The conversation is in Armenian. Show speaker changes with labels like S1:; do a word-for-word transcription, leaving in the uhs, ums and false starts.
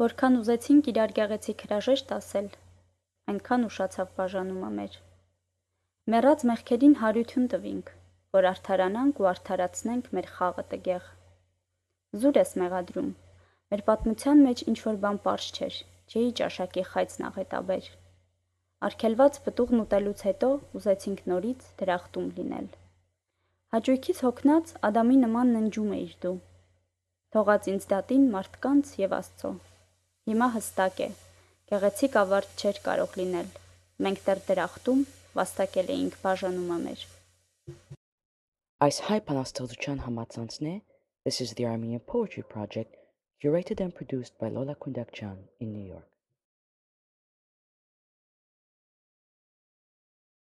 S1: Որքան ուզեցինք իրար գեղեցիկ հրաժեշտ ասել, այնքան ուշացավ բաժանումը մեր։ Մեռած մեղքերին հարություն տվինք, որ արդարանանք ու արդարացնենք մեր խաղը տգեղ։ Զուր ես մեղադրում, մեր պատմության մեջ ինչ-որ բան պարզ չէր, չէի ճաշակի խայծն աղետաբեր։ Արգելված պտուղն ուտելուց հետո ուզեցինք նորից դրախտում լինել։ Հաճույքից հոգնած Ադամի նման ննջում էիր դու։ Թողած ինձ դատին մարդկանց և Աստծո։ Հիմա հստակ է, գեղեցիկ ավարտ չէր կարող լինել, մենք դեռ դրախտում վաստակել էինք բաժանումը մեր։
S2: Այս հայ բանաստեղծության համացանցն է This is the Armenian Poetry Project, curated and produced by Lola Kundakjan in New York.